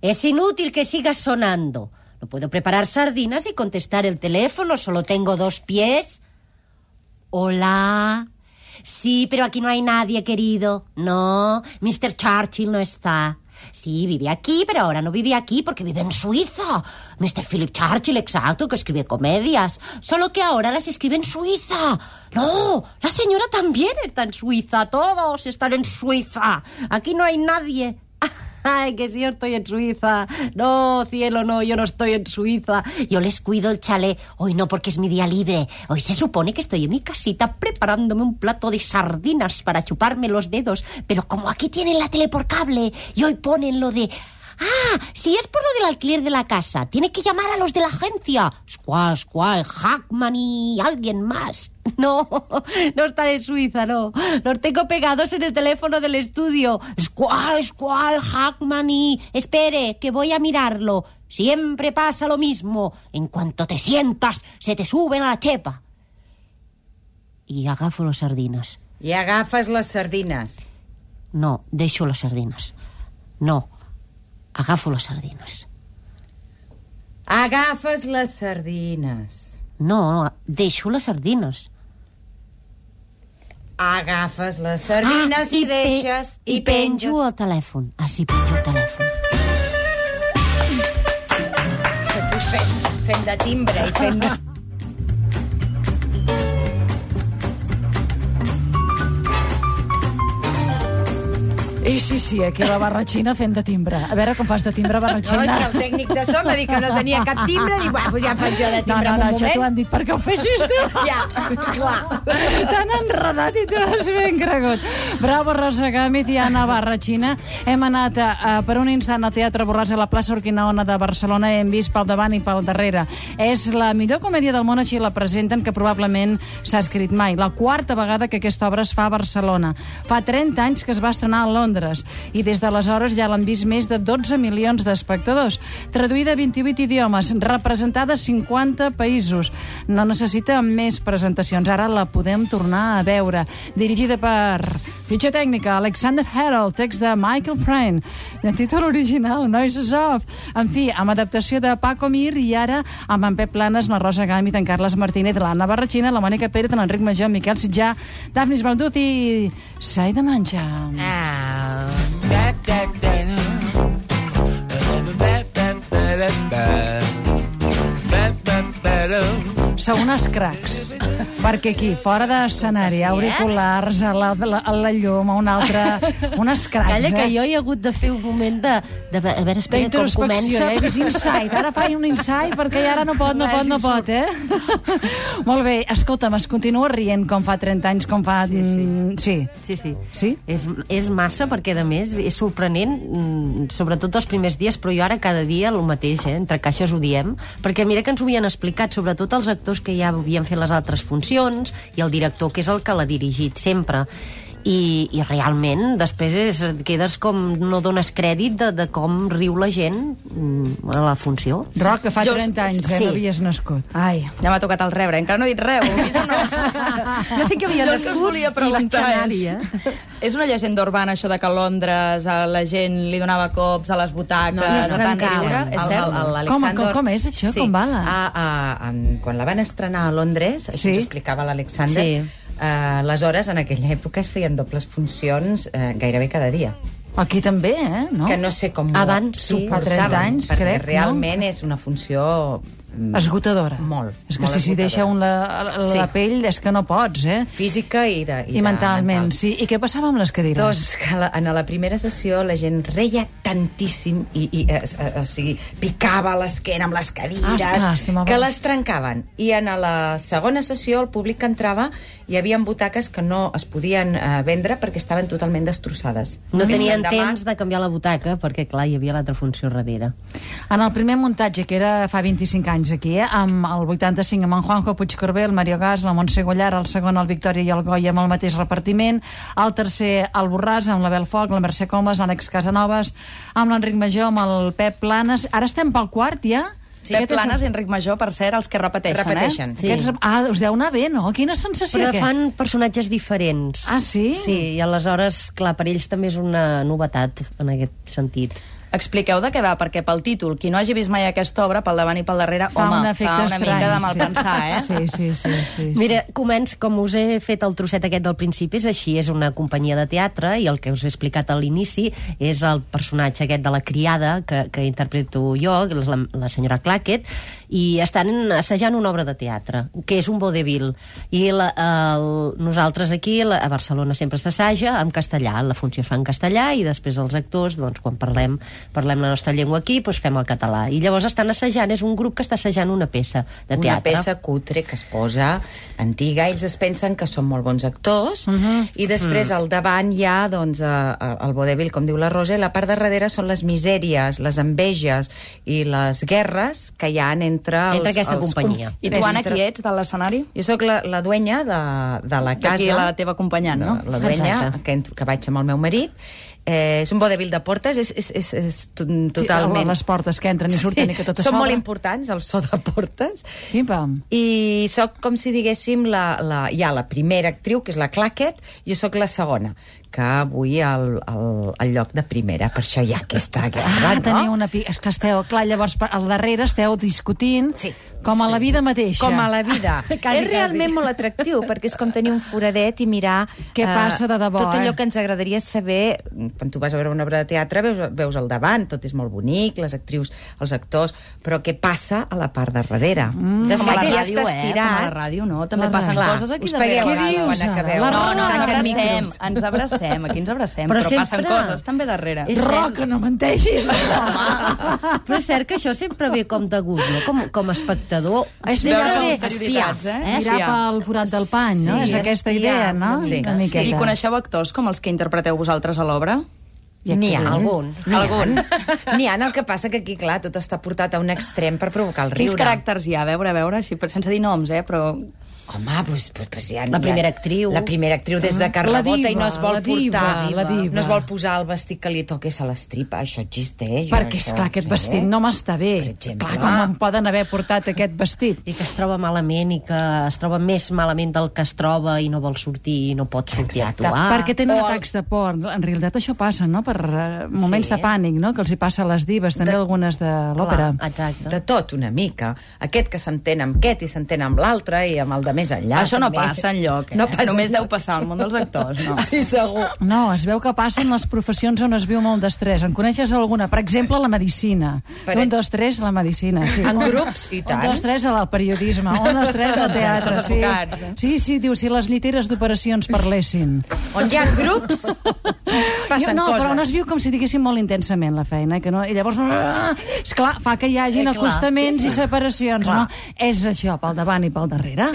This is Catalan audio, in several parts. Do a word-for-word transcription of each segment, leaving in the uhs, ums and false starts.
Es inútil que sigas sonando. No puedo preparar sardinas y contestar el teléfono. Solo tengo dos pies. Hola. Sí, pero aquí no hay nadie, querido. No, mister Churchill no está. Sí, vive aquí, pero ahora no vive aquí porque vive en Suiza. mister Philip Churchill, exacto, que escribe comedias. Solo que ahora las escribe en Suiza. No, la señora también está en Suiza. Todos están en Suiza. Aquí no hay nadie. Ay, que sí, yo estoy en Suiza. No, cielo, no, yo no estoy en Suiza. Yo les cuido el chalet. Hoy no, porque es mi día libre. Hoy se supone que estoy en mi casita preparándome un plato de sardinas para chuparme los dedos. Pero como aquí tienen la tele por cable y hoy ponen lo de... Ah, si es por lo del alquiler de la casa, tiene que llamar a los de la agencia. Squall, Squall, Hackman y alguien más. No, no están en Suiza, no. Los tengo pegados en el teléfono del estudio. Squall, Squall, Hackman y... Espere, que voy a mirarlo. Siempre pasa lo mismo. En cuanto te sientas, se te suben a la chepa. I agafo les sardines. I agafes les sardines. No, deixo les sardines. No, agafo les sardines. Agafes les sardines. No, deixo les sardines. Agafes les sardines ah, i, i deixes... Pe I, i penjo penges... el telèfon. Ah, sí, penjo el telèfon. Fem, fem de timbre i fem de... I sí, sí, aquí la barratxina fent de timbre. A veure com fas de timbre, barratxina. No, és que el tècnic de so m'ha dit que no tenia cap timbre i bueno, doncs ja faig jo de timbre. No, no, no, un això t'ho han dit perquè ho feixis tu. Ja, clar. T'han enredat i tu has ben cregut. Bravo, Rosa Gàmez i Anna Barratxina. Hem anat uh, per un instant al Teatre Borràs a la plaça Urquinaona de Barcelona i hem vist pel davant i pel darrere. És la millor comèdia del món, així la presenten, que probablement s'ha escrit mai. La quarta vegada que aquesta obra es fa a Barcelona. Fa trenta anys que es va estrenar a Londres i des d'aleshores ja l'han vist més de dotze milions d'espectadors. Traduïda a vint-i-vuit idiomes, representada a cinquanta països. No necessita més presentacions. Ara la podem tornar a veure. Dirigida per fitxa tècnica Alexander Harold, text de Michael Frayn. De títol original, Noises Off. En fi, amb adaptació de Paco Mir i ara amb en Pep Planes, la Rosa Gàmez, en Carles Martínez, l'Anna Barratxina, la Mònica Pérez, l'Enric Major, Miquel Sitjà, Dafnis Baldut i Sai de Manxa. Ah. Sou unes cracs, perquè aquí, fora d'escenari, auriculars, a la, a la, a la llum, a una altra... Unes cracs, Calla, eh? que jo he hagut de fer un moment de... de a veure, espera, com comença... Eh? Vist insight. Ara faig un insight perquè ara no pot, no pot, no pot, eh? Molt bé, escolta'm, es continua rient com fa trenta anys, com fa... Sí, sí. Sí. Sí, sí. Sí? És, és massa, perquè, a més, és sorprenent, sobretot els primers dies, però jo ara cada dia el mateix, eh? Entre caixes ho diem, perquè mira que ens ho havien explicat, sobretot els actors que ja havien fet les altres funcions i el director, que és el que l'ha dirigit sempre. I, i realment després és, quedes com no dones crèdit de, de com riu la gent a la funció. Roc, que fa Jo- trenta anys, eh? sí. No havies nascut. Ai, ja m'ha tocat el rebre, encara no he dit res, ho he vist o no? Jo sé que havia Jo el que us nascut volia i preguntar vaig anar-hi, és... eh? És una llegenda urbana, això de que a Londres a la gent li donava cops a les butaques, No, es no tant trencaven. riure? És El- cert? el- el- Com, com, com és això? Sí. Com va la... A, a, a, quan la van estrenar a Londres, això Sí. ens explicava l'Alexander, Sí. eh, aleshores, en aquella època es feien dobles funcions eh, gairebé cada dia. Aquí també, eh? No? Que no sé com Abans, sí. suportaven, Fa trenta anys, perquè crec, no? realment és una funció... mm, Esgotadora. Molt, És que molt si s'hi deixa esgotadora. un la, la, Sí. la pell és que no pots, eh? Física i, de, i, I de mentalment, mental. sí. I què passava amb les cadires? Doncs que la, en la primera sessió la gent reia tantíssim i, i eh, eh, o sigui, picava l'esquena amb les cadires, Ah, estima, que vols. les trencaven. I en la segona sessió el públic que entrava hi havia butaques que no es podien eh, vendre perquè estaven totalment destrossades. No Només tenien l'endemà- temps de canviar la butaca, perquè, clar, hi havia l'altra funció darrere. En el primer muntatge, que era fa vint-i-cinc anys aquí, eh? Amb el vuitanta-cinc amb en Juanjo Puigcorbé, el Mario Gas, la Montse Gollar, el segon el Victòria i el Goya amb el mateix repartiment, el tercer el Borràs amb la Bel Foc, la Mercè Comas, l'Àlex Casanovas, amb l'Enric Major, amb el Pep Planes. Ara estem pel quart, ja? Sí, Pep Planes i Enric Major, per cert, els que repeteixen, Repeteixen. eh? Sí. Aquests... Ah, us deu anar bé, no? Quina sensació, Però què? fan personatges diferents. Ah, sí? Sí, i aleshores, clar, per ells també és una novetat en aquest sentit. Expliqueu de què va, perquè pel títol, qui no hagi vist mai aquesta obra, pel davant i pel darrere, fa home, un efecte fa una estrany, mica de sí. malpensar, eh? Sí, sí, sí, sí, sí. Mira, començ, com us he fet el trosset aquest del principi, és així, és una companyia de teatre i el que us he explicat a l'inici és el personatge aquest de la criada que, que interpreto jo, la, la senyora Clackett, i estan assajant una obra de teatre, que és un vodevil. I la, el, nosaltres aquí, la, a Barcelona, sempre s'assaja en castellà, la funció es fa en castellà i després els actors, doncs, quan parlem, parlem la nostra llengua aquí, doncs fem el català. I llavors estan assajant, és un grup que està assajant una peça de teatre. Una peça cutre que es posa antiga, ells es pensen que són molt bons actors, uh -huh. i després uh -huh. al davant hi ha doncs, el vodevil, com diu la Rosa, i la part de darrere són les misèries, les enveges i les guerres que hi ha entre els... Entre aquesta els companyia. I tu, Anna, qui ets de l'escenari? Jo sóc la, la duenya de, de la casa. D'aquí la teva acompanyant, no? La duenya, que, que vaig amb el meu marit. Eh, és un vodevil de portes, és, és, és, és totalment... Sí, les portes que entren i surten, sí, i que tot a són sobre. molt importants, el so de portes. Pim-pam. I sóc, com si diguéssim, la, la, ja la primera actriu, que és la Clackett, i jo sóc la segona, que avui al, al, al lloc de primera, per això hi ha aquesta guerra, ah, no? teniu una... Pi... És que esteu, clar, llavors al darrere esteu discutint, sí, com a sí. la vida mateixa. Com a la vida. quasi, és realment quasi. Molt atractiu, perquè és com tenir un foradet i mirar... Què uh, passa de debò, tot allò eh? que ens agradaria saber, quan tu vas a veure una obra de teatre, veus, veus al davant, tot és molt bonic, les actrius, els actors, però què passa a la part de darrere? Mm, de com a la fet, ja ràdio, està eh? estirat. Com a la ràdio, no? També La passen ràdio. coses aquí Us darrere. pegueu Què a dius? quan acabeu. La No, no, ens Tanquen abracem, micros. ens abracem, aquí ens abracem, Però però, però passen sempre- coses també darrere. És Roca, no menteixis! Però és cert que això sempre ve com de gust, no? Com, com a espectador. És sempre veure ve les espiar. prioritats, eh? Eh? Mirar pel forat del pany, no? Sí, És aquesta espiar, idea, no? sí. Una miqueta. I coneixeu actors com els que interpreteu vosaltres a l'obra? N'hi ha. Algun. Algun. N'hi ha, el que passa que aquí, clar, tot està portat a un extrem per provocar el Quins riure. caràcters hi ha? A veure, a veure, així, sense dir noms, eh? Però... Home, doncs, pues, pues ja... La primera ja, actriu. La primera actriu des de que La rebota diva, i no es vol la diva, portar... la diva. No es vol posar el vestit que li toqués a l'estripa. Això existeix. Perquè, això, esclar, aquest sí. vestit no m'està bé. Per exemple. Clar, com em poden haver portat aquest vestit? I que es troba malament i que es troba més malament del que es troba i no vol sortir i no pot sortir Exacte. a actuar. Perquè tenen o el- atacs de por. En realitat això passa, no?, per uh, moments Sí. de pànic, no?, que els hi passa a les divas, també De- algunes de l'òpera. Clar, exacte. De tot, una mica. Aquest que s'entén amb aquest i s'entén amb l'altre i amb el de més enllà. Això no també. passa enlloc, eh? No passa Només deu enlloc. passar al món dels actors, no? Sí, segur. No, es veu que passen les professions on es viu molt d'estrès. En coneixes alguna? Per exemple, la medicina. Per- Un, dos, tres, la medicina. Sí. En grups, i tant. Un, dos, tres, al periodisme. Un, dos, tres, al teatre. Els Sí. advocats, eh? sí, sí, diu, si les lliteres d'operacions parlessin. On hi ha grups, passen jo, no, coses. però on es viu com si diguéssim molt intensament la feina, que no, i llavors, esclar, fa que hi hagin Eh, clar, acostaments sí, sí. i separacions, Clar. no? És això, pel davant i pel darrere.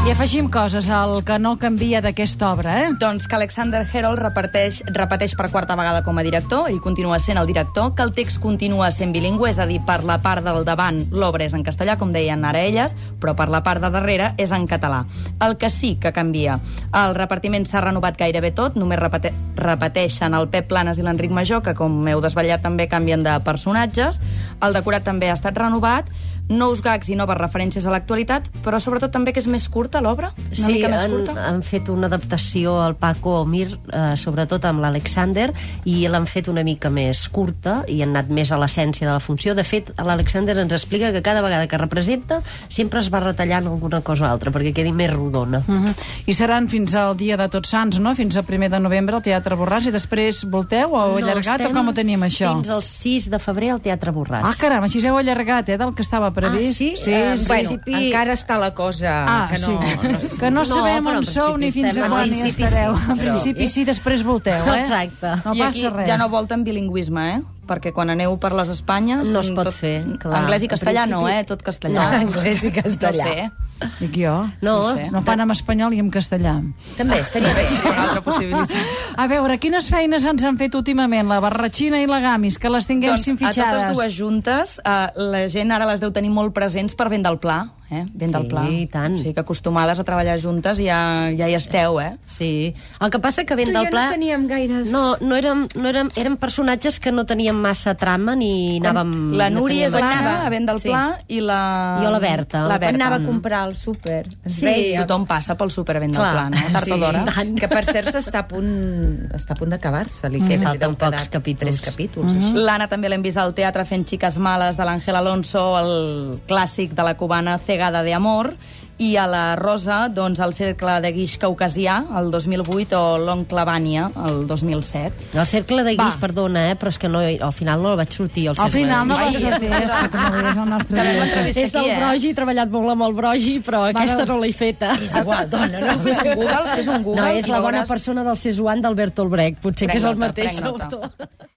I afegim coses al que no canvia d'aquesta obra, eh? Doncs que Alexander Herold repeteix, repeteix per quarta vegada com a director, ell continua sent el director, que el text continua sent bilingüe, és a dir, per la part del davant l'obra és en castellà, com deien ara elles, però per la part de darrere és en català. El que sí que canvia, el repartiment s'ha renovat gairebé tot, només repete repeteixen el Pep Planes i l'Enric Major, que com heu desvetllat també canvien de personatges, el decorat també ha estat renovat, nous gags i noves referències a l'actualitat, però sobretot també que és més curta l'obra, una Sí, mica més han, curta. han fet una adaptació al Paco Mir, eh, sobretot amb l'Alexander, i l'han fet una mica més curta i han anat més a l'essència de la funció. De fet, l'Alexander ens explica que cada vegada que representa sempre es va retallant alguna cosa o altra perquè quedi més rodona. Uh -huh. I seran fins al dia de Tots Sants, no? Fins al primer de novembre al Teatre Borràs, i després volteu o allargat, o estem com ho tenim, això? Fins al sis de febrer al Teatre Borràs. Ah, caram, així heu allargat, eh, del que estava previst. Ah, sí? Sí, Eh, sí. bueno, principi- encara està la cosa Ah, que no... sí. no, que no No, sabem però on en sou ni principi fins a estem- quan en hi principi estareu. sí, En però- principi sí, després volteu, eh? Exacte. No I passa aquí res. ja no volten bilingüisme, eh? Perquè quan aneu per les Espanyes... No es pot tot, fer, clar. Anglès i En castellà no, principi- eh? Tot castellà. No, anglès i castellà. No sé. Dic jo. No, No sé. No fan en espanyol i en castellà. també estaria bé. Una altra possibilitat. A veure, quines feines ens han fet últimament? La Barratxina i la Gamis, que les tinguem Doncs sin a fitxades. totes dues juntes, eh, la gent ara les deu tenir molt presents per vent del Pla. eh? Ben del Sí, pla. i tant. O sigui que acostumades a treballar juntes ja, ja hi esteu, eh? Sí. El que passa que Ben Tu i del jo Pla... no teníem gaires... No, no érem, no érem, érem personatges que no teníem massa trama ni anàvem... La no Núria teníem és massa- l'Anna, a Ben del Sí. Pla, i la... Jo la Berta. La Quan Berta. anava a comprar al súper. Es Sí, veia. Tothom passa pel súper Ben del Clar, Pla, no? Tard sí, o d'hora. i tant. Que, per cert, s'està a punt, està a punt d'acabar-se. Li Sí, sembla, li falten deu quedar pocs capítols. Tres capítols, així. L'Anna també l'hem vist al teatre fent Xiques Males de l'Àngel Alonso, el clàssic de la cubana Cegada de Amor, i a la Rosa, doncs, el Cercle de Guix Caucasià, el dos mil vuit, o l'Oncle Vània, el dos mil set. El cercle de guix, Va. perdona, eh, però és que no, al final no el vaig sortir. El Al cercle final no de va guix. sortir, és que com és el nostre Farem dia. l'entrevista És del aquí, eh? Brogi, he treballat molt amb el Brogi, però aquesta no l'he feta. És igual, dona, no? Fes un Google, fes un Google. No, és i la bona veuràs- persona del Cesuan d'Alberto Brecht. Potser Prenc que és el nota, mateix prenc nota. autor.